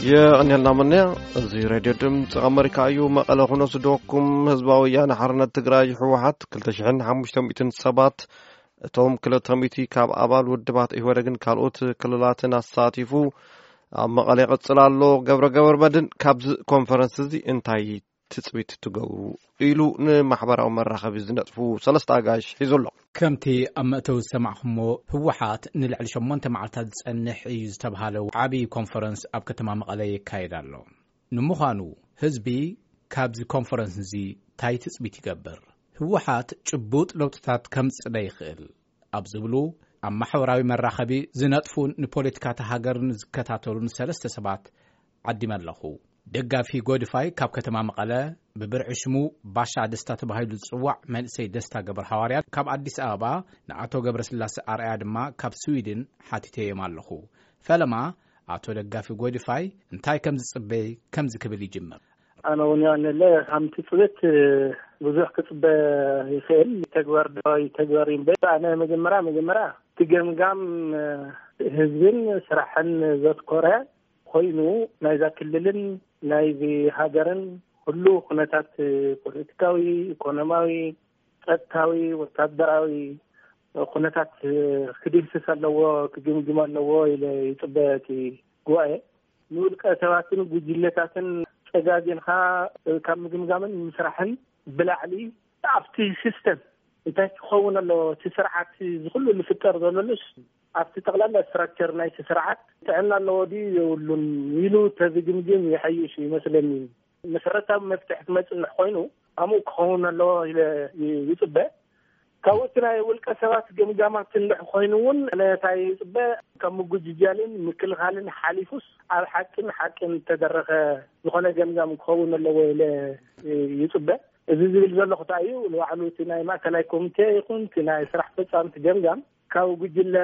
የቐንየልና መነያ። እዚ ሬድዮ ድምፂ ኣመሪካ እዩ። መቐለ ኩኖ ዝደወኩም። ህዝባዊ ወያነ ሓርነት ትግራይ ህወሓት ክልተ ሽሕን ሓሙሽተ ሚእትን ሰባት፣ እቶም ክልተ ሚእቲ ካብ ኣባል ውድባት ኢህወደግን ካልኦት ክልላትን ኣሳቲፉ ኣብ መቐለ ይቕፅል ኣሎ። ገብረ ገብረ መድን፣ ካብዚ ኮንፈረንስ እዚ እንታይ ትፅቢት ትገብሩ ኢሉ ንማሕበራዊ መራኸቢ ዝነጥፉ ሰለስተ ኣጋይሽ ሒዙ ኣሎ። ከምቲ ኣብ መእተዊ ዝሰማዕኹሞ፣ ህወሓት ንልዕሊ ሸሞንተ መዓልታት ዝጸንሕ እዩ ዝተብሃለ ዓቢ ኮንፈረንስ ኣብ ከተማ መቐለ የካይድ ኣሎ። ንምዃኑ ህዝቢ ካብዚ ኮንፈረንስ እዚ ታይ ትጽቢት ይገብር? ህወሓት ጭቡጥ ለውጥታት ከምጽእ ዶ ይኽእል? ኣብ ዝብሉ ኣብ ማሕበራዊ መራኸቢ ዝነጥፉን ንፖለቲካታ ሃገርን ዝከታተሉን ሰለስተ ሰባት ዓዲመ ኣለኹ። ደጋፊ ጎድፋይ ካብ ከተማ መቐለ፣ ብብርዒ ሽሙ ባሻ ደስታ ተባሂሉ ዝጽዋዕ መንእሰይ ደስታ ገብረ ሃዋርያ ካብ ኣዲስ ኣበባ፣ ንኣቶ ገብረስላሴ ኣርኣያ ድማ ካብ ስዊድን ሓቲተዮም ኣለኹ። ፈለማ ኣቶ ደጋፊ ጎድፋይ እንታይ ከም ዝጽበይ ከምዚ ክብል ይጅምር። ኣነ እውን ያንለ ከም ትጽብት ብዙሕ ክጽበ ይኽእል። ተግባር ዶ ይተግበር እዩ እምበር፣ ኣነ መጀመርያ፣ መጀመርያ እቲ ገምጋም ህዝብን ስራሕን ዘትኮረ ኮይኑ፣ ናይዛ ክልልን ናይዚ ሃገርን ኩሉ ኩነታት ፖለቲካዊ፣ ኢኮኖሚያዊ፣ ጸጥታዊ፣ ወታደራዊ ኩነታት ክድህስስ ኣለዎ፣ ክግምግም ኣለዎ ኢለ ይጽበ። እቲ ጉባኤ ንውልቀ ሰባትን ጉጅለታትን ጸጋጊንካ ካብ ምግምጋምን ምስራሕን ብላዕሊ ኣብቲ ሲስተም እንታይ ክኸውን ኣለዎ፣ እቲ ስርዓት እዚ ኩሉ ዝፍጠር ዘሎሉስ ኣብቲ ጠቕላላ ስትራክቸር ናይቲ ስርዓት ጥዕና ኣለዎ ድዩ የብሉን ኢሉ ተዝግምግም ይሐይሽ ይመስለኒ። መሰረታዊ መፍትሒ ክመጽእ እንድሕ ኮይኑ ኣምኡ ክኸውን ኣለዎ ኢለ ይ-፣ ይጽበ። ካብኡ እቲ ናይ ውልቀ ሰባት ገምጋማት እንድሕ ኮይኑ እውን ነታ ይጽበ ካብ ምጉጅጃልን ምክልኻልን ሓሊፉስ ኣብ ሓቅን ሓቅን ዝተደረኸ ዝኾነ ገምጋም ክኸውን ኣለዎ ኢለ ይጽበ። እዚ ዝብል ዘለኹ እንታይ እዩ፣ ንባዕሉ እቲ ናይ ማእከላይ ኮሚቴ ይኹን እቲ ናይ ስራሕ ፈጻሚ እቲ ገምጋም ካብ ጉጅለ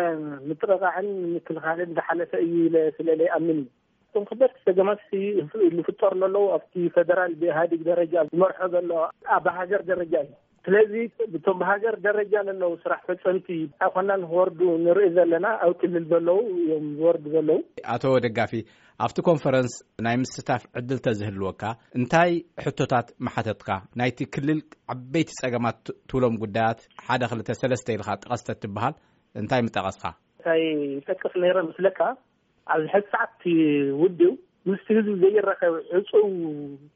ምጥቕቓዕን ምክልኻልን ዝሓለፈ እዩ ኢለ ስለ ዘይኣምን እዩ። እቶም ከበድቲ ጸገማት ዝፍጠሩ ዘለዉ ኣብቲ ፈደራል ብኢህኣዴግ ደረጃ ዝመርሖ ዘሎ፣ ኣብ ሃገር ደረጃ እዩ። ስለዚ እቶም ብሃገር ደረጃ ዘለዉ ስራሕ ፈጸምቲ ኣይኮናን ክወርዱ ንርኢ ዘለና፣ ኣብ ክልል ዘለዉ እዮም ዝወርዱ ዘለዉ። ኣቶ ደጋፊ፣ ኣብቲ ኮንፈረንስ ናይ ምስታፍ ዕድል ተዝህልወካ እንታይ ሕቶታት ምሓተትካ? ናይቲ ክልል ዓበይቲ ጸገማት ት-፣ ትብሎም ጉዳያት ሓደ ክልተ ሰለስተ ኢልካ ጥቀስ ተትበሃል እንታይ ምጠቐስካ? እንታይ ይጠቅስ ነይረ ምስለካ? ኣብዚ ሕዚ ሰዓት እቲ ውድብ ምስቲ ህዝቢ ዘይራኸብ ዕፁው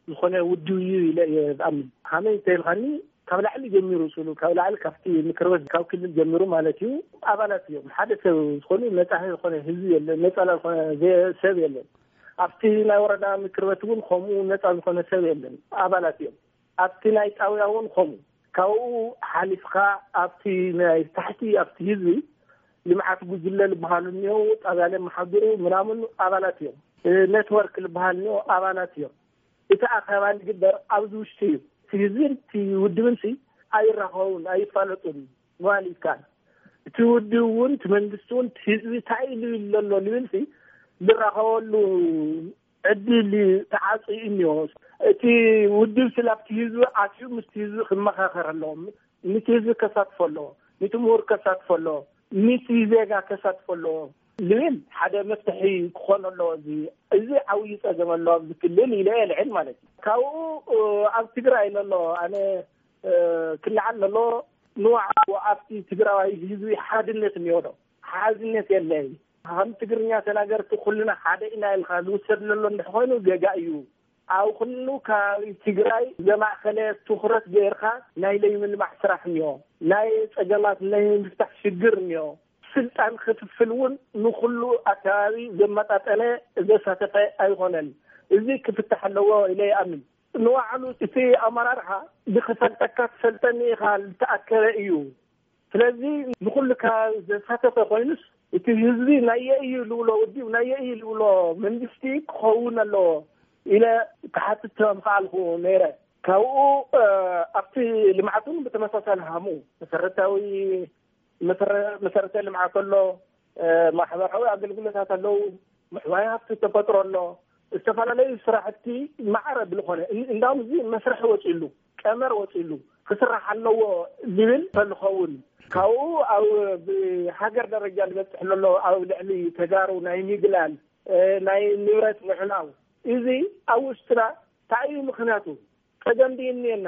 ዝኾነ ውድብ እዩ ኢለ እየ ዝኣምን። ከመይ እንተኢልካኒ፣ ካብ ላዕሊ ጀሚሩ ስሉ፣ ካብ ላዕሊ ካብቲ ምክር ቤት፣ ካብ ክልል ጀሚሩ ማለት እዩ፣ ኣባላት እዮም። ሓደ ሰብ ዝኾነ ነፃ ዝኾነ ህዝቢ የለን፣ ነፃ ዝኾነ ዘ-፣ ሰብ የለን። ኣብቲ ናይ ወረዳ ምክር ቤት እውን ከምኡ ነፃ ዝኾነ ሰብ የለን፣ ኣባላት እዮም። ኣብቲ ናይ ጣውያ እውን ከምኡ። ካብኡ ሓሊፍካ ኣብቲ ናይ ታሕቲ፣ ኣብቲ ህዝቢ ልምዓት ጉጅለ ዝበሃሉ እኒኦ፣ ጣብያ ለመሓድሩ ምናምን ኣባላት እዮም። እ፣ ኔትወርክ ዝበሃል እኒኦ፣ ኣባላት እዮም። እቲ ኣኼባ ዝግበር ኣብዚ ውሽጢ እዩ። እቲ ህዝብን እቲ ውድብን ሲ ኣይራኸቡን፣ ኣይፋለጡን ምባል ይከኣል። እቲ ውድብ እውን፣ እቲ መንግስቲ እውን፣ እቲ ህዝቢ እንታይ ኢሉ ይብሎ ኣሎ ዝብል ሲ ዝራኸበሉ ዕድል ተዓፅዩ እኒኦ። እቲ ውድብ ስለ ኣብቲ ህዝቢ ኣትዩ ምስቲ ህዝቢ ክመኻኸር ኣለዎ። ነቲ ህዝቢ ከሳትፎ ኣለዎ። ነቲ ምሁር ከሳትፎ ኣለዎ። ነቲ ዜጋ ከሳትፎ ኣለዎ ዝብል ሓደ መፍትሒ ክኾን ኣለዎ። እዚ፣ እዚ ዓብዪ ፀገም ኣለዎ ኣብዚ ክልል ኢለ የልዕል ማለት እዩ። ካብኡ፣ እ፣ ኣብ ትግራይ ዘሎ ኣነ፣ እ፣ ክለዓል ዘሎ ንባዕሉ ኣብቲ ትግራዋይ ህዝቢ ሓድነት እኒኦ ዶ? ሓድነት የለን። ከም ትግርኛ ተናገርቲ ኩልና ሓደ ኢና ኢልካ ዝውሰድ ዘሎ እንድሕ ኮይኑ ጌጋ እዩ። ኣብ ኩሉ ከባቢ ትግራይ ዘማእኸለ ትኹረት ገይርካ ናይ ለይምልማዕ ስራሕ እኒኦ፣ ናይ ፀገማት ናይ ምፍታሕ ሽግር እኒኦ። ስልጣን ክፍፍል እውን ንኩሉ ኣከባቢ ዘመጣጠነ ዘሳተፈ ኣይኮነን። እዚ ክፍታሕ ኣለዎ ኢለ ይኣምን። ንባዕሉ እቲ ኣመራርሓ ንክፈልጠካ ትፈልጠኒ ኢኻ ዝተኣከበ እዩ። ስለዚ ንኹሉ ከባቢ ዘሳተፈ ኮይኑስ፣ እቲ ህዝቢ ናየ እዩ ዝብሎ ውድብ፣ ናየ እዩ ዝብሎ መንግስቲ ክኸውን ኣለዎ ኢለ ክሓትት ምኽኣልኩ ነይረ። ካብኡ፣ እ፣ ኣብቲ ልምዓት እውን ብተመሳሳሊ ሃሙ መሰረታዊ መሰረ-፣ መሰረተ ልምዓት ኣሎ፣ እ፣ ማሕበራዊ ኣገልግሎታት ኣለዉ፣ ምዕባይ ሃፍቲ ተፈጥሮ ኣሎ። ዝተፈላለዩ ስራሕቲ ማዕረ ብዝኾነ፣ እን-፣ እንዳውም እዚ መስርሕ ወፂሉ፣ ቀመር ወፂሉ ክስራሕ ኣለዎ ዝብል ተዝኸውን፣ ካብኡ ኣብ ብሃገር ደረጃ ዝበፅሕ ዘሎ ኣብ ልዕሊ ተጋሩ ናይ ሚግላል እ፣ ናይ ንብረት ምሕላው፣ እዚ ኣብ ውሽጥና እንታይ እዩ ምኽንያቱ? ጸገም ድዩ እኒኤና?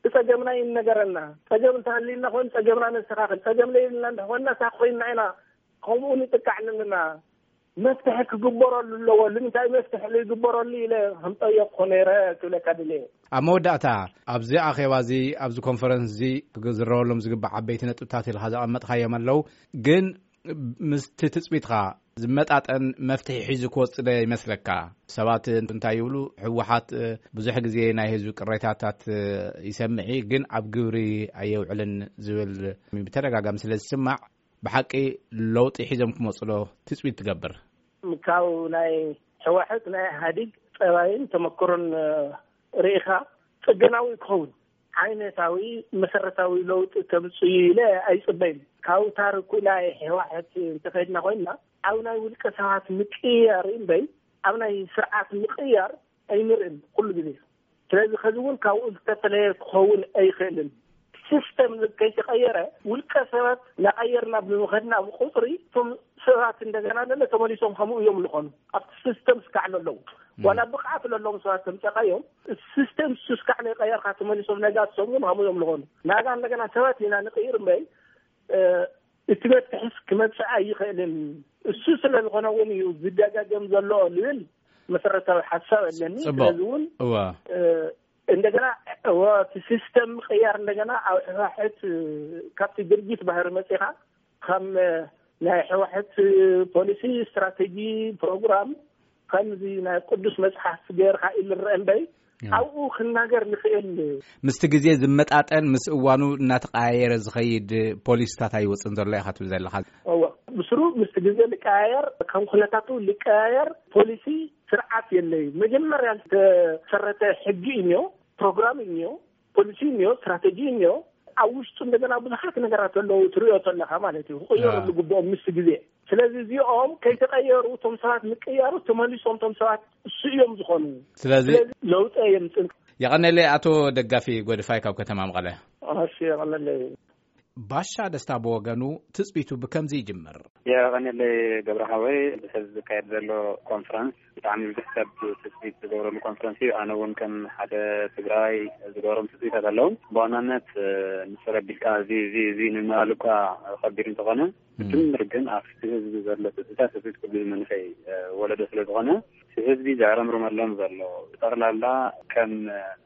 ብጸገምና ይነገረና። ጸገም እንተሃልዩና ኮይኑ ጸገምና ነስተኻኽል። ጸገም ለይብልና እንተኾንና እሳ ኮይንና ኢና ከምኡ ንጥቃዕ ኣለና። መፍትሒ ክግበረሉ ኣለዎ። ንምንታይ መፍትሒ ዘይግበረሉ ኢለ ከምጠየቅኩ ነይረ ክብለካ ድልየ። ኣብ መወዳእታ፣ ኣብዚ ኣኼባ እዚ፣ ኣብዚ ኮንፈረንስ እዚ ክዝረበሎም ዝግባእ ዓበይቲ ነጥብታት ኢልካ ዘቐመጥካዮም ኣለዉ። ግን ምስቲ ትጽቢትካ ዝመጣጠን መፍትሒ ሒዙ ክወጽእ ዶ ይመስለካ? ሰባት እንታይ ይብሉ? ህወሓት፣ እ፣ ብዙሕ ግዜ ናይ ህዝቢ ቅሬታታት፣ እ፣ ይሰምዕ እዩ፣ ግን ኣብ ግብሪ ኣየውዕልን ዝብል ብተደጋጋሚ ስለ ዝስማዕ፣ ብሓቂ ለውጢ ሒዞም ክመጹ ዶ ትጽቢት ትገብር? ካብ ናይ ህወሓት፣ ናይ ኢህኣዴግ ጸባይን ተመክሮን፣ እ፣ ርኢኻ ጽገናዊ ክኸውን ዓይነታዊ መሰረታዊ ለውጢ ከምጽኡ ኢለ ኣይጽበይን። ካብ ታሪኩ ናይ ህወሓት እንተኸድና ኮይና ኣብ ናይ ውልቀ ሰባት ምቅያር እምበይ ኣብ ናይ ስርዓት ምቅያር ኣይንርእን ኩሉ ግዜ። ስለዚ ከዚ እውን ካብኡ ዝተፈለየ ክኸውን ኣይኽእልን። ሲስተም ከይተቐየረ ውልቀ ሰባት እናቐየርና ብምኸድና ብቁፅሪ እቶም ሰባት እንደገና ለለ ተመሊሶም ከምኡ እዮም ዝኾኑ። ኣብቲ ሲስተም ስካዕ ለለዉ ዋላ ብቕዓት ለለዎም ሰባት ተምፀቃዮም ሲስተም ስካዕ ናይ ቀየርካ ተመሊሶም ነጋ ትሰሙን ከምኡ እዮም ዝኾኑ። ናጋ እንደገና ሰባት ኢና ንቕይር እምበይ እቲ መፍትሒስ ክመጽእ ኣይኽእልን። እሱ ስለ ዝኾነ እውን እዩ ዝደጋገም ዘሎ ልብል መሰረታዊ ሓሳብ ኣለኒ። ጽቡቕ። ስለዚ እውን እወ። እ፣ እንደገና እወ፣ እቲ ሲስተም ምቕያር እንደገና ኣብ ሕፋሕት፣ እ፣ ካብቲ ድርጊት ባህሪ መጺኻ ከም፣ እ፣ ናይ ሕወሓት ፖሊሲ፣ ስትራቴጂ፣ ፕሮግራም ከምዚ ናይ ቅዱስ መጽሓፍ ገይርካ ኢሉ ዝረአ እምበይ፣ ያ። ኣብኡ ክናገር ንኽእል። ምስቲ ግዜ ዝመጣጠን፣ ምስ እዋኑ እናተቀያየረ ዝኸይድ ፖሊሲታት ኣይወፅን ዘሎ ኢኻ ትብል ዘለኻ። እወ፣ ብስሩ ምስቲ ግዜ ልቀያየር፣ ከም ኩነታቱ ልቀያየር ፖሊሲ ስርዓት የለይ። መጀመርያ ዝተሰረተ ሕጊ እዩ እኒኦ፣ ፕሮግራም እዩ እኒኦ፣ ፖሊሲ እኒኦ፣ ስትራቴጂ እኒኦ። ኣብ ውሽጡ እንደገና ብዙሓት ነገራት ኣለዉ ትሪኦ ዘለኻ ማለት እዩ። ክቕየሩ አ። ዝግብኦም ምስ ግዜ። ስለዚ እዚኦም ከይተቐየሩ እቶም ሰባት ምቅያሩ ተመሊሶም እቶም ሰባት እሱ እዮም ዝኾኑ። ስለዚ ስለዚ ለውጢ የምፅእ። የቐነለይ ኣቶ ደጋፊ ጎድፋይ ካብ ከተማ መቐለ። እሺ፣ የቐነለይ። ባሻ ደስታ ብወገኑ ትጽቢቱ ብከምዚ ይጅምር። የቐነለይ ገብረ ሓወይ፣ ብሕዚ ዝካየድ ዘሎ ኮንፈረንስ ብጣዕሚ ብዙሕ ሰብ ትጽቢት ዝገብረሉ ኮንፈረንስ እዩ። ኣነ እውን ከም ሓደ ትግራይ ዝገብሮም ትጽቢታት ኣለዉ። ብዋናነት፣ እ፣ ንሱ ረቢካ እዚ፣ እዚ፣ እዚ ንምባል እኳ ከቢድ እንተኾነ፣ እም። ብድምር ግን ኣብቲ ህዝቢ ዘሎ ትጽቢታት፣ ህዝቢ ኩሉ መንእሰይ፣ እ፣ ወለዶ ስለ ዝኾነ፣ እቲ ህዝቢ ዘዕረምርመሎም ዘሎ ብጠቕላላ ከም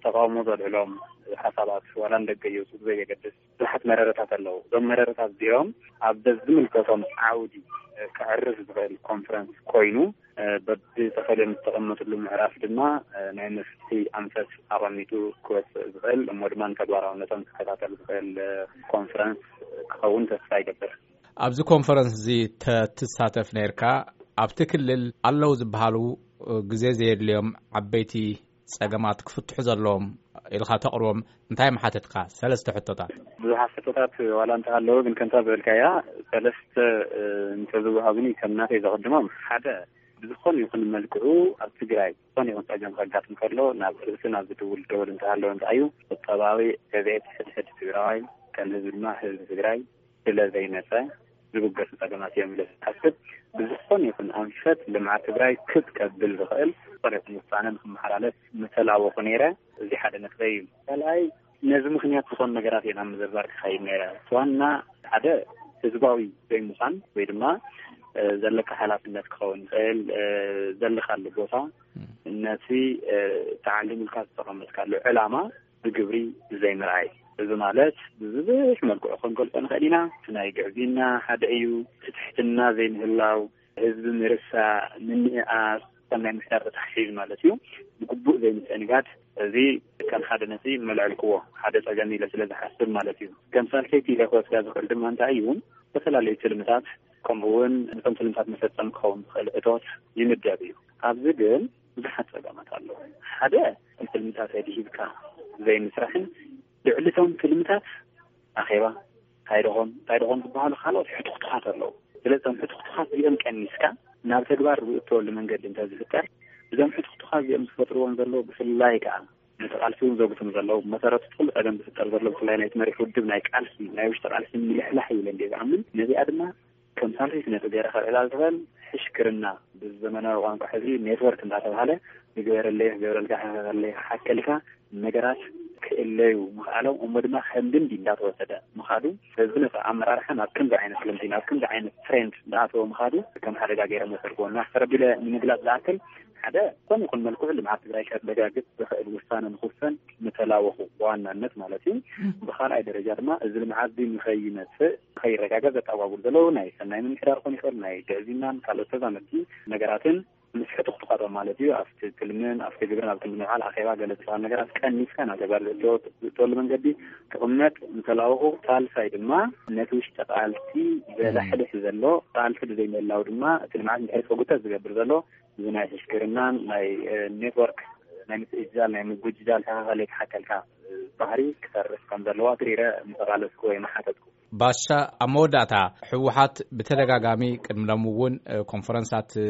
ተቃውሞ ዘልዕሎም ሓሳባት ዋላ ንደገ ይውፅኡ ብዘየገድስ ብዙሓት መረረታት ኣለዉ። እዞም መረረታት እዚኦም ኣብ ዝምልከቶም ዓውዲ፣ እ፣ ከዕርፍ ዝኽእል ኮንፈረንስ ኮይኑ፣ እ፣ በብተፈልዮም ዝተቐመጥሉ ምዕራፍ ድማ፣ እ፣ ናይ መፍትሒ ኣንፈት ኣቐሚጡ ክወፅእ ዝኽእል እሞ ድማ ንተግባራውነቶም ክከታተል ዝኽእል፣ እ፣ ኮንፈረንስ ክኸውን ተስፋ ይገብር። ኣብዚ ኮንፈረንስ እዚ ተትሳተፍ ነይርካ፣ ኣብቲ ክልል ኣለዉ ዝበሃሉ፣ እ፣ ግዜ ዘየድልዮም ዓበይቲ ጸገማት ክፍትሑ ዘለዎም ኢልካ ተቕርቦም እንታይ ምሓተትካ? ሰለስተ ሕቶታት። ብዙሓት ሕቶታት ዋላ እንተሃለዉ፣ ግን ከምታ ዝበልካያ ሰለስተ፣ እ፣ እንተዝወሃቡኒ ከም ናተይ ዘቐድሞም፣ ሓደ፣ ብዝኾነ ይኹን መልክዑ ኣብ ትግራይ ዝኾነ ይኹን ጸገም ከጋጥም ከሎ ናብ ርእሲ ናብ ዝድውል ደወል እንተሃለወ እንታይ እዩ? ቁጠባዊ ዕቤት ሕድሕድ ትግራዋይ ከም ህዝቢ ድማ ህዝቢ ትግራይ ስለ ዘይመጸ ዝብገሱ ጸገማት እዮም ኢለ ዝሓስብ። ብዝኾነ ይኹን ኣንፈት ልምዓት ትግራይ ክብ ከብል ዝኽእል ዝኾነ ይኹን ውሳነ ንክመሓላለፍ ምተላወኹ ነይረ። እዚ ሓደ ነጥበይ እዩ። ካልኣይ፣ ነዚ ምኽንያት ዝኾኑ ነገራት እየ ናብ ምዝርዛር ክኸይድ ነይረ። እቲ ዋና ሓደ ህዝባዊ ዘይምዃን ወይ ድማ፣ እ፣ ዘለካ ሓላፍነት ክኸውን ይኽእል፣ እ፣ ዘለካሉ ቦታ፣ እም። ነቲ፣ እ፣ ተዓሊምልካ ዝተቐመጥካሉ ዕላማ ብግብሪ ዘይምርኣይ። እዚ ማለት ብብዙሕ መልክዑ ክንገልጾ ንኽእል ኢና። እቲ ናይ ግዕዝይና ሓደ እዩ። እቲ ትሕትና ዘይምህላው፣ ህዝቢ ምርሳዕ፣ ምንእኣስ፣ ከም ናይ ምሕዳር ተተሓሒዙ ማለት እዩ። ብግቡእ ዘይምትእንጋድ፣ እዚ ከም ሓደ ነጥቢ መልዐልክዎ፣ ሓደ ጸገም ኢለ ስለ ዝሓስብ ማለት እዩ። ከም ሳልሰይቲ ኢለ ክወስዳ ዝኽእል ድማ እንታይ እዩ? ዝተፈላለዩ ትልምታት፣ ከምኡ እውን ነቶም ትልምታት መፈጸሚ ክኸውን ዝኽእል እቶት ይምደብ እዩ። ኣብዚ ግን ብዙሓት ጸገማት ኣለዉ። ሓደ፣ ትልምታት ኣድሂብካ ዘይምስራሕን ልዕሊ እቶም ትልምታት ኣኼባ እንታይ ደኾን እንታይ ደኾን ዝበሃሉ ካልኦት ሕቱኽቱኻት ኣለዉ። ስለዚ እቶም ሕቱኽቱኻት እዚኦም ቀኒስካ ናብ ተግባር ዝእተወሉ መንገዲ እንተዝፍጠር፣ እዞም ሕቱኽቱኻት እዚኦም ዝፈጥርዎም ዘለዉ ብፍላይ ከኣ ነቲ ቃልሲ እውን ዘጉትም ዘለዉ፣ መሰረቱ እቲ ኩሉ ጸገም ዝፍጠር ዘሎ ብፍላይ ናይቲ መሪሕ ውድብ ናይ ቃልሲ ናይ ውሽጢ ቃልሲ ምልሕላሕ እዩ ኢለ እንድየ ዝኣምን። ነዚኣ ድማ ከም ሳልሰይቲ ነጥብ ገይረ ከልዕላ ዝኽእል፣ ሕሽክርና፣ ብዘመናዊ ቋንቋ ሕዚ ኔትወርክ እንዳተባሃለ፣ ዝገበረለይ ክገብረልካ፣ ክገብረለይ ክሓከልካ፣ ነገራት ክእለዩ ምኽኣሎም፣ እሞ ድማ ከም ልምዲ እንዳተወሰደ ምኻዱ፣ ህዝቢ ነፃ ኣመራርሓ ናብ ከምዚ ዓይነት ልምዲ፣ ናብ ከምዚ ዓይነት ትሬንድ እንዳኣተወ ምኻዱ ከም ሓደጋ ገይረ መሰልክዎ። እና ተረቢለ ንምግላፅ ዝኣክል፣ ሓደ፣ ኮነ ይኹን መልክዑ ልምዓት ትግራይ ከረጋግፅ ዝኽእል ውሳነ ንክውሰን ምተላወኹ፣ ብዋናነት ማለት እዩ። ብኻልኣይ ደረጃ ድማ፣ እዚ ልምዓት እዚ ንኸይመፅእ፣ ንኸይረጋገፅ ዘጠጓጉሉ ዘለዉ ናይ ሰናይ ምምሕዳር ክኾን ይኽእል፣ ናይ ግዕዝይናን ካልኦት ተዛመድቲ ነገራትን ምስ ሕቱኽቱኻቶም ማለት እዩ። ኣብቲ ትልምን ኣብቲ ግብርን ኣብ ክንዲ ምውዓል ኣኼባ ገለ ዝበሃል ነገራት ቀኒስካ ናብ ተግባር ዘእተወሉ መንገዲ ክቕመጥ ምተላወኹ፣ ሳልሳይ ድማ ነቲ ውሽጢ ቃልሲ ዘላሕልሕ ዘሎ፣ ቃልሲ ብዘይምህላው ድማ እቲ ልምዓት እንድሕር ተጎተ ዝገብር ዘሎ፣ እዚ ናይ ሕሽክርናን ናይ፣ እ፣ ኔትወርክ ናይ ምትእጅጃል፣ ናይ ምጉጅጃል፣ ተኻኸለይ ክሓከልካ፣ እ፣ ባህሪ ክተርፍ ከም ዘለዋ ትሪረ ምተቓለስኩ ወይ መሓተትኩ። ባሻ፣ ኣብ መወዳእታ፣ ህወሓት ብተደጋጋሚ ቅድሚ ሎሚ እውን፣ እ፣ ኮንፈረንሳት፣ እ፣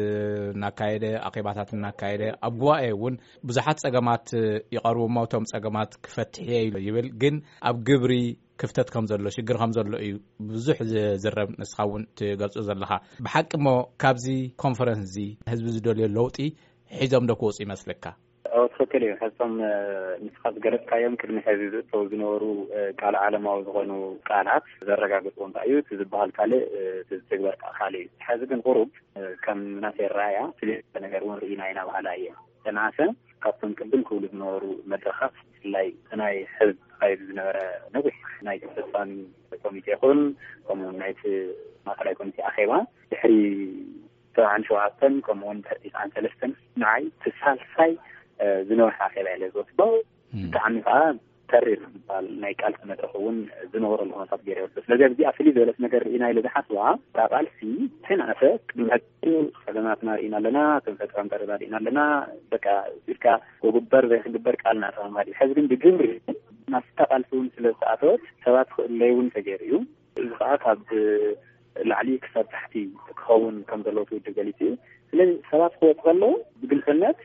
እናካየደ፣ ኣኼባታት እናካየደ፣ ኣብ ጉባኤ እውን ብዙሓት ጸገማት፣ እ፣ ይቐርቡ እሞ፣ እቶም ጸገማት ክፈትሕ እየ ኢሉ ይብል፣ ግን ኣብ ግብሪ ክፍተት ከም ዘሎ፣ ሽግር ከም ዘሎ እዩ ብዙሕ ዝዝረብ፣ ንስኻ እውን ትገልጾ ዘለኻ። ብሓቂ እሞ፣ ካብዚ ኮንፈረንስ እዚ ህዝቢ ዝደልዮ ለውጢ ሒዞም ዶ ክወጹ ይመስለካ? ኦ፣ ትኽክል እዩ። ሕቶም፣ እ፣ ንስኻ ዝገለጽካዮም ቅድሚ ሕዚ ዝእተው ዝነበሩ፣ እ፣ ቃል ዓለማዊ ዝኾኑ ቃላት ዘረጋግጽዎ እንታይ እዩ? እቲ ዝበሃል ካልእ፣ እ፣ እቲ ዝትግበር ከኣ ካልእ እዩ። ሕዚ ግን ቁሩብ፣ እ፣ ከም ናተይ ኣረኣእያ ፍልይ ዝበለ ነገር እውን ርኢና ኢና በሃላይ እየ። ተነኣሰ ካብቶም ቅድም ክብሉ ዝነበሩ መድረኻት፣ ብፍላይ እቲ ናይ ሕዝቢ ተኻይዱ ዝነበረ ነዊሕ ናይ ፈጻሚ ኮሚቴ ይኹን፣ ከምኡ እውን ናይቲ ማእከላይ ኮሚቴ ኣኼባ ድሕሪ ሰብዓን ሸውዓተን ከምኡ እውን ድሕሪ ትስዓን ሰለስተን ንዓይ እቲ ሳልሳይ፣ እ፣ ዝነውሐ ኣኼባ ኢለ ዝወስዶ። እም። ብጣዕሚ ከዓ ተሪር ዝበሃል ናይ ቃልሲ መድረኽ እውን ዝነበረሉ ኩነታት ገይረ ይወስዶ። ስለዚ ኣብዚኣ ፍልይ ዝበለት ነገር ርኢና ኢለ ዝሓስባ፣ እታ ቃልሲ ተናእሰ ቅድሚ ሕጂ ጸገማትና ርኢና ኣለና፣ ከም ፈጠራም ቀረባ ርኢና ኣለና፣ በቃ ኢልካ ክግበር ዘይክግበር ቃል እናእተኻ ምኻድ እዩ። ሕዚ ግን ብግብሪ ናብታ ቃልሲ እውን ስለ ዝተኣተወት ሰባት ክእለዩ እውን ተገይሩ እዩ። እዚ ከዓ ካብ ላዕሊ ክሳብ ታሕቲ ክኸውን ከም ዘለዎ እቲ ውድብ ገሊጹ እዩ። ስለዚ ሰባት ክወጡ ከለዉ ብግልጽነት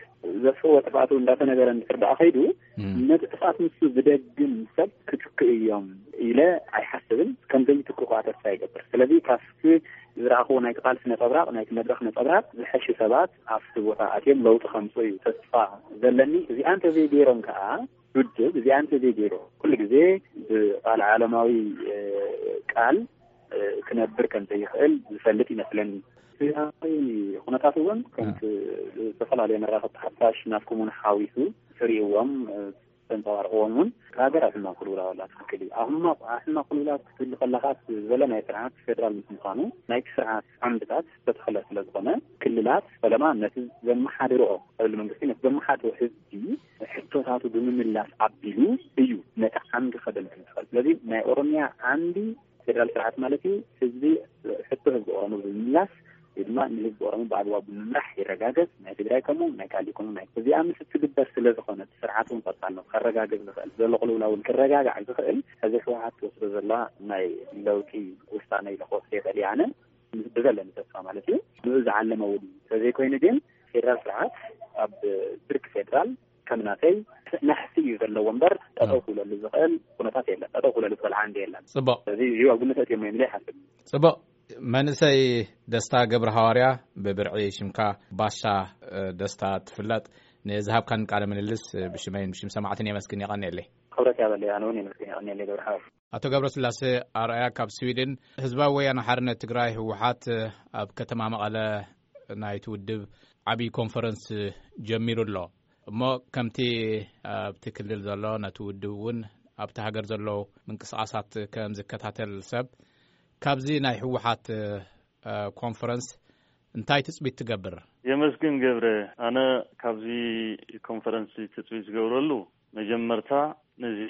ዘጥፍእዎ ጥፍኣት እውን እንዳተነገረ እንድሕር ደኣ ከይዱ፣ እም። ነቲ ጥፍኣት ንሱ ዝደግም ሰብ ክትክኡ እዮም ኢለ ኣይሓስብን። ከም ዘይትክኡ ከዓ ተስፋ ይገብር። ስለዚ ካብቲ ዝረኣኽዎ ናይቲ ቃልሲ ነጸብራቕ፣ ናይቲ መድረኽ ነጸብራቕ ዝሐሹ ሰባት ኣብቲ ቦታ ኣትዮም ለውጢ ከምጽኡ እዩ ተስፋ ዘለኒ። እዚኣ እንተዘይገይሮም ከዓ ውድብ እዚኣ እንተዘይገይሩ፣ ኩሉ ግዜ ብቃል ዓለማዊ፣ እ፣ ቃል፣ እ፣ ክነብር ከም ዘይኽእል ዝፈልጥ ይመስለኒ። ሰብኣዊ ኩነታት እውን ከምቲ እ። ዝተፈላለዩ መራኸብቲ ሓፋሽ ናትኩም እውን ሓዊሱ ትርእይዎም፣ እ፣ ተንጸባርቕዎም እውን፣ ሃገር ኣብ ሕማቕ ቅልውላው ኣላ። ትኽክል እዩ። ኣብ ሕማቕ፣ ኣብ ሕማቕ ቅልውላው ክትህሉ ከለኻ፣ እቲ ዝበለ ናይ ስርዓት ፌደራል ምስ ምዃኑ፣ ናይቲ ስርዓት ዓምድታት ዝተተኽለ ስለ ዝኾነ፣ ክልላት ፈለማ ነቲ ዘመሓድርኦ፣ ክልል መንግስቲ ነቲ ዘመሓድሮ ህዝቢ ሕቶታቱ ብምምላስ ኣቢሉ እዩ ነቲ ዓምዲ ከደምድም ዝኽእል። ስለዚ ናይ ኦሮሚያ ዓምዲ ፌደራል ስርዓት ማለት እዩ። ህዝቢ፣ ሕቶ ህዝቢ ኦሮሞ ብምምላስ ወይ ድማ ንህዝቢ ኦሮሞ ብኣግባቡ ብምምራሕ ይረጋገጽ። ናይ ትግራይ ከምኡ፣ ናይ ካልእ ከምኡ። ናይ እዚኣ ምስ እትግበር ስለ ዝኾነት፣ ስርዓት እውን ቀጻልነቱ ከረጋግጽ ዝኽእል፣ ዘሎ ቅልውላው እውን ክረጋጋዕ ዝኽእል፣ ሕዚ ህወሓት ትወስዶ ዘላ ናይ ለውጢ ውሳነ ኢለ ክወስዶ ይኽእል እየ ኣነ። ብዘለኒ ተስፋ ማለት እዩ። ንኡ ዝዓለመ እውን ተዘይኮይኑ ግን፣ ፌደራል ስርዓት ኣብ ብርኪ ፌደራል ከም ናተይ ናሕሲ እዩ ዘለዎ እምበር፣ ጠጠው ክብለሉ ዝኽእል ኩነታት የለን። ጠጠው ክብለሉ ዝኽእል ዓንዲ የለን። ጽቡቕ። ስለዚ እዚ ኣብ ግምት ኣእትዮም እዮም ኢለ ይሓስብ። ጽቡቕ። መንእሰይ ደስታ ገብረ ሃዋርያ፣ ብብርዒ ሽምካ ባሻ፣ እ፣ ደስታ ትፍለጥ፣ ንዝሃብካን ቃለ ምልልስ፣ እ፣ ብሽመይን ብሽም ሰማዕትን የመስግን፣ የቐንየለይ። ክብረት ያበለይ፣ ኣነ እውን የመስግን፣ የቐንየለይ ገብረ ሃዋርያ። ኣቶ ገብረስላሴ ኣርኣያ ካብ ስዊድን፣ ህዝባዊ ወያነ ሓርነት ትግራይ ህወሓት ኣብ ከተማ መቐለ ናይቲ ውድብ ዓብዪ ኮንፈረንስ ጀሚሩ ኣሎ። እሞ ከምቲ ኣብቲ ክልል ዘሎ ነቲ ውድብ እውን ኣብቲ ሃገር ዘሎ ምንቅስቓሳት ከም ዝከታተል ሰብ፣ ካብዚ ናይ ህወሓት፣ እ፣ ኮንፈረንስ እንታይ ትጽቢት ትገብር? የመስግን ገብረ፣ ኣነ ካብዚ ኮንፈረንስ ትጽቢት ዝገብረሉ፣ መጀመርታ ነዚ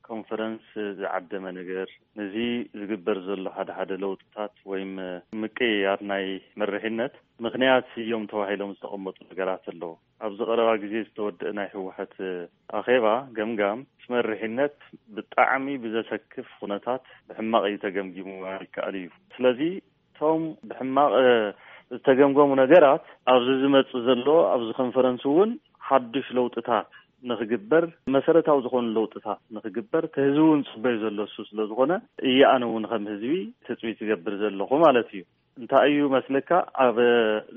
ኮንፈረንስ ዝዓደመ ነገር፣ ነዚ ዝግበር ዘሎ ሓደ ሓደ ለውጥታት ወይም ምቅይያር ናይ መሪሕነት ምኽንያት እዮም ተባሂሎም ዝተቐመጡ ነገራት ኣለዉ። ኣብዚ ቀረባ ግዜ ዝተወደአ ናይ ህወሓት ኣኼባ ገምጋም፣ እቲ መሪሕነት ብጣዕሚ ብዘሰክፍ ኩነታት ብሕማቕ እዩ ተገምጊሙ ይከኣል እዩ። ስለዚ እቶም ብሕማቕ፣ እ፣ ዝተገምገሙ ነገራት ኣብዚ ዝመጽእ ዘሎ፣ ኣብዚ ኮንፈረንስ እውን ሓዱሽ ለውጥታት ንኽግበር፣ መሰረታዊ ዝኾኑ ለውጥታት ንኽግበር እቲ ህዝቢ እውን ዝጽበዮ ዘሎ እሱ ስለ ዝኾነ፣ እየ ኣነ እውን ከም ህዝቢ ትጽቢት ዝገብር ዘለኹ ማለት እዩ። እንታይ እዩ መስለካ፣ ኣብ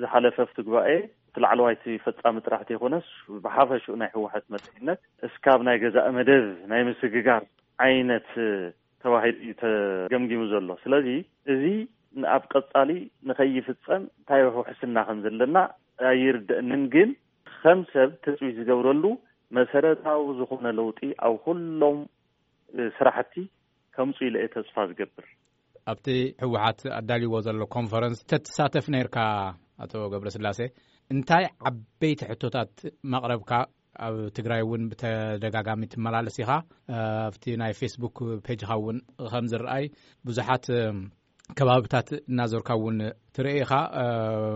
ዝሓለፈ ኣብቲ ጉባኤ እቲ ላዕለዋይ እቲ ፈጻሚ ጥራሕ ዘይኮነስ፣ ብሓፈሽኡ ናይ ህወሓት መሪሕነት እስካብ ናይ ገዛእ መደብ ናይ ምስግጋር ዓይነት ተባሂሉ እዩ ተገምጊሙ ዘሎ። ስለዚ እዚ ኣብ ቀጻሊ ንኸይፍጸም እንታይ ውሕስና ከም ዘለና ኣይርደእንን። ግን ከም ሰብ ትጽቢት ዝገብረሉ መሰረታዊ ዝኾነ ለውጢ ኣብ ኩሎም ስራሕቲ ከምፁ ኢለ እየ ተስፋ ዝገብር። ኣብቲ ህወሓት ኣዳልይዎ ዘሎ ኮንፈረንስ ተትሳተፍ ነርካ፣ ኣቶ ገብረስላሴ፣ እንታይ ዓበይቲ ሕቶታት መቕረብካ? ኣብ ትግራይ እውን ብተደጋጋሚ ትመላለስ ኢኻ። ኣብቲ ናይ ፌስቡክ ፔጅኻ እውን ከም ዝረኣይ ብዙሓት ከባብታት እናዞርካ እውን ትርኢ ኢኻ።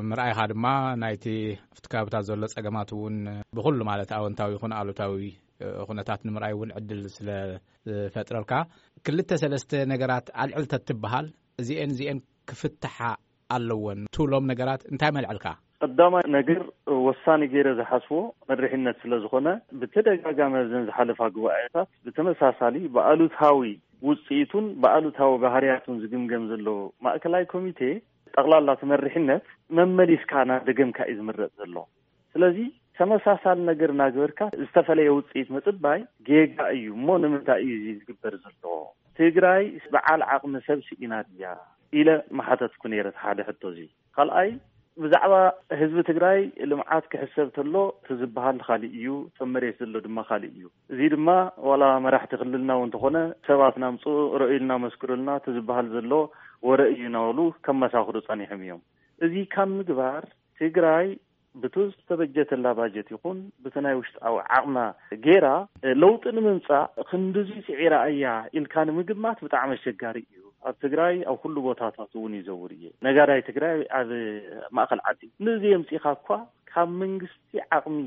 ምርኣይኻ ድማ ናይቲ ኣብቲ ከባብታት ዘሎ ጸገማት እውን ብኹሉ ማለት ኣወንታዊ ይኹን ኣሉታዊ ኩነታት ንምርኣይ እውን ዕድል ስለ ዝፈጥረልካ፣ ክልተ ሰለስተ ነገራት ኣልዕል ተትበሃል፣ እዚኤን እዚኤን ክፍትሓ ኣለወን ትብሎም ነገራት እንታይ መልዕልካ? ቀዳማይ ነገር፣ ወሳኒ ገይረ ዝሓስቦ መሪሕነት ስለ ዝኾነ፣ ብተደጋጋሚ ኣብዘን ዝሓለፋ ጉባኤታት ብተመሳሳሊ ብኣሉታዊ ውፅኢቱን ብኣሉታዊ ባህርያቱን ዝግምገም ዘሎ ማእከላይ ኮሚቴ፣ ጠቕላላ እቲ መሪሕነት መመሊስካ እናደገምካ እዩ ዝምረፅ ዘሎ። ስለዚ ተመሳሳሊ ነገር እናገበርካ ዝተፈለየ ውፅኢት ምፅባይ ጌጋ እዩ። እሞ ንምንታይ እዩ እዚ ዝግበር ዘሎ? ትግራይ በዓል ዓቕሚ ሰብ ስኢና ድያ ኢለ ምሓተትኩ ነይረ እቲ ሓደ ሕቶ እዚ። ካልኣይ፣ ብዛዕባ ህዝቢ ትግራይ ልምዓት ክሕሰብ ተሎ እቲ ዝበሃል ካሊእ እዩ፣ እቶም መሬት ዘሎ ድማ ካሊእ እዩ። እዚ ድማ ዋላ መራሕቲ ክልልና እውን እንተኾነ ሰባት ናምፁ፣ ረእዩልና፣ መስክሩልና እቲ ዝበሃል ዘሎ ወረ እዩ እናበሉ ከመሳኽሩ ጸኒሖም እዮም። እዚ ካብ ምግባር ትግራይ ብቱ ዝተበጀተላ ባጀት ይኹን ብቲ ናይ ውሽጣዊ ዓቕማ ጌራ ለውጢ ንምምፃእ ክንድዚ ስዒራ እያ ኢልካ ንምግማት ብጣዕሚ ኣሸጋሪ እዩ። ኣብ ትግራይ ኣብ ኩሉ ቦታታት እውን ይዘውር እየ። ነጋዳይ ትግራይ ኣብ ማእኸል ዓዲ ንዚ የምፂኻ እኳ ካብ መንግስቲ ዓቕሚ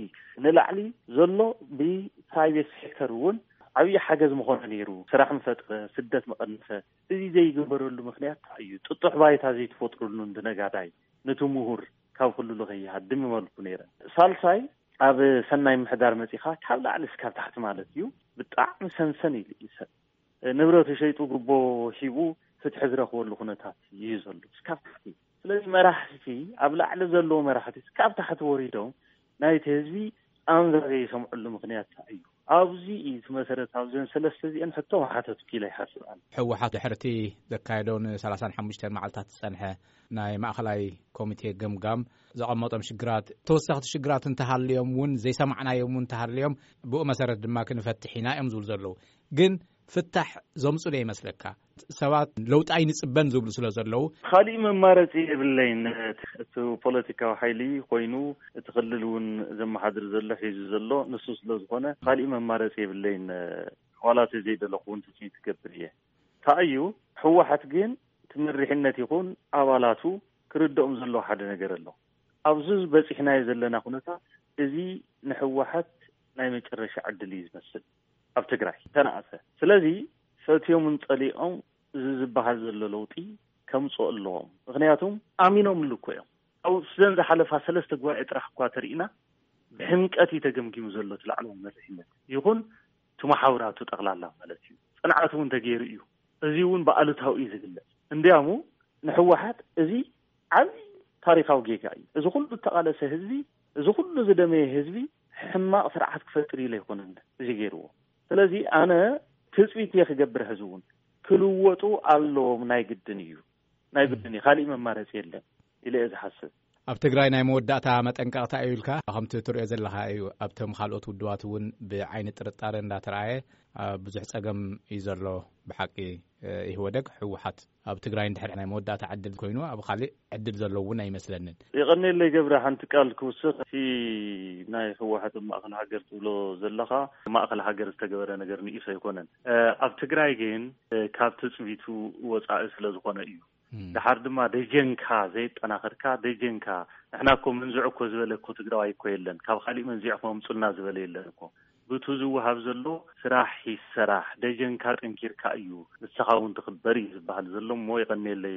ንላዕሊ ዘሎ ብፕራይቬት ሴክተር እውን ዓብዪ ሓገዝ ምኾነ ነይሩ። ስራሕ ምፈጥረ፣ ስደት ምቐንሰ። እዚ ዘይግበረሉ ምኽንያት እንታይ እዩ? ጥጡሕ ባይታ ዘይትፈጥሩሉ ንነጋዳይ፣ ነቲ ምሁር ካብ ክልሉ ከይሃድም ይመልኩ ነይረ። ሳልሳይ፣ ኣብ ሰናይ ምሕዳር መጺኻ ካብ ላዕሊ እስካብ ታሕቲ ማለት እዩ፣ ብጣዕሚ ሰንሰን ኢሉ እዩ ሰብ። ንብረቱ ሸይጡ ጉቦ ሂቡ ፍትሒ ዝረኽበሉ ኩነታት እዩ ዘሎ እስካብ ታሕቲ። ስለዚ መራሕቲ፣ ኣብ ላዕሊ ዘለዉ መራሕቲ እስካብ ታሕቲ ወሪዶም ናይቲ ህዝቢ ቃንዛ ዘይሰምዕሉ ምኽንያት እንታይ እዩ? ኣብዚ እዩ እቲ መሰረት። ኣብዘን ሰለስተ እዚአን ሕቶ ምሓተትኩ ኢለ ይሓስብ ኣነ። ህወሓት ድሕርቲ ዘካየዶ ንሰላሳን ሓሙሽተን መዓልታት ዝጸንሐ ናይ ማእኸላይ ኮሚቴ ገምጋም ዘቐመጦም ሽግራት፣ ተወሰኽቲ ሽግራት እንተሃልዮም እውን፣ ዘይሰማዕናዮም እውን እንተሃልዮም፣ ብኡ መሰረት ድማ ክንፈትሕ ኢና እዮም ዝብሉ ዘለዉ። ግን ፍታሕ ዘምፁ ዶ ይመስለካ? ሰባት ለውጢ ኣይንፅበን ዝብሉ ስለ ዘለዉ። ካሊእ መማረፂ የብለይን። እቲ ፖለቲካዊ ሓይሊ ኮይኑ እቲ ክልል እውን ዘመሓድር ዘሎ፣ ሒዙ ዘሎ ንሱ ስለ ዝኾነ፣ ካሊእ መማረፂ የብለይን። ዋላ እቲ ዘይደለኹ እውን ትፅቢት ትገብር እየ። እንታይ እዩ፣ ህወሓት ግን እቲ መሪሕነት ይኹን ኣባላቱ ክርድኦም ዘለዎ ሓደ ነገር ኣሎ። ኣብዚ በፂሕናዮ ዘለና ኩነታት፣ እዚ ንህወሓት ናይ መጨረሻ ዕድል እዩ ዝመስል ኣብ ትግራይ ተነኣሰ። ስለዚ ፈትዮምን ጸሊኦም እዚ ዝበሃል ዘሎ ለውጢ ከምፅኦ ኣለዎም። ምኽንያቱም ኣሚኖምሉ እኮ እዮም። ኣብ ዘን ዝሓለፋ ሰለስተ ጉባኤ ጥራሕ እኳ ተርኢና፣ ብሕምቀት እዩ ተገምጊሙ ዘሎ እቲ ላዕለዋይ መሪሕነት ይኹን እቲ መሓውራቱ ጠቕላላ ማለት እዩ። ፅንዓት እውን ተገይሩ እዩ። እዚ እውን ብኣሉታዊ እዩ ዝግለፅ። እንዲያሙ ንህወሓት እዚ ዓብዪ ታሪኻዊ ጌጋ እዩ። እዚ ኩሉ እተቓለሰ ህዝቢ፣ እዚ ኩሉ ዝደመየ ህዝቢ ሕማቕ ስርዓት ክፈጥር ኢለ ኣይኮነን እዚ ገይርዎ። ስለዚ ኣነ ትፅቢት እየ ክገብር፣ ህዝቢ እውን ክልወጡ ኣለዎም፣ ናይ ግድን እዩ፣ ናይ ግድን እዩ፣ ካሊእ መማረፂ የለን ኢለ እየ ዝሓስብ። ኣብ ትግራይ ናይ መወዳእታ መጠንቀቕታ እዩ ኢልካ ከምቲ ትሪኦ ዘለኻ እዩ። ኣብቶም ካልኦት ውድባት እውን ብዓይኒ ጥርጣረ እንዳተረኣየ፣ ኣብ ብዙሕ ጸገም እዩ ዘሎ። ብሓቂ፣ እ፣ ኢህወደግ፣ ህወሓት ኣብ ትግራይ እንድሕር ናይ መወዳእታ ዕድል ኮይኑ ኣብ ካልእ ዕድል ዘሎ እውን ኣይመስለንን። የቐኔለይ ገብረ፣ ሓንቲ ቃል ክውስኽ። እቲ ናይ ህወሓት ኣብ ማእኸል ሃገር ትብሎ ዘለኻ፣ ማእኸል ሃገር ዝተገበረ ነገር ንኢሱ ኣይኮነን። እ፣ ኣብ ትግራይ ግን፣ እ፣ ካብ ትጽቢቱ ወጻኢ ስለ ዝኾነ እዩ። እም። ደሓር ድማ ደጀንካ ዘየጠናኸርካ፣ ደጀንካ፣ ንሕና እኮ መንዝዑ እኮ ዝበለ እኮ ትግራዋይ እኮ የለን፣ ካብ ካሊእ መንዚዕኩም ኣምጹልና ዝበለ የለን እኮ። ብቱ ዝወሃብ ዘሎ ስራሕ ይሰራሕ፣ ደጀንካ ጠንኪርካ እዩ፣ ንስኻ እውን ትኽበር እዩ ዝበሃል ዘሎ እሞ የቐንየለይ።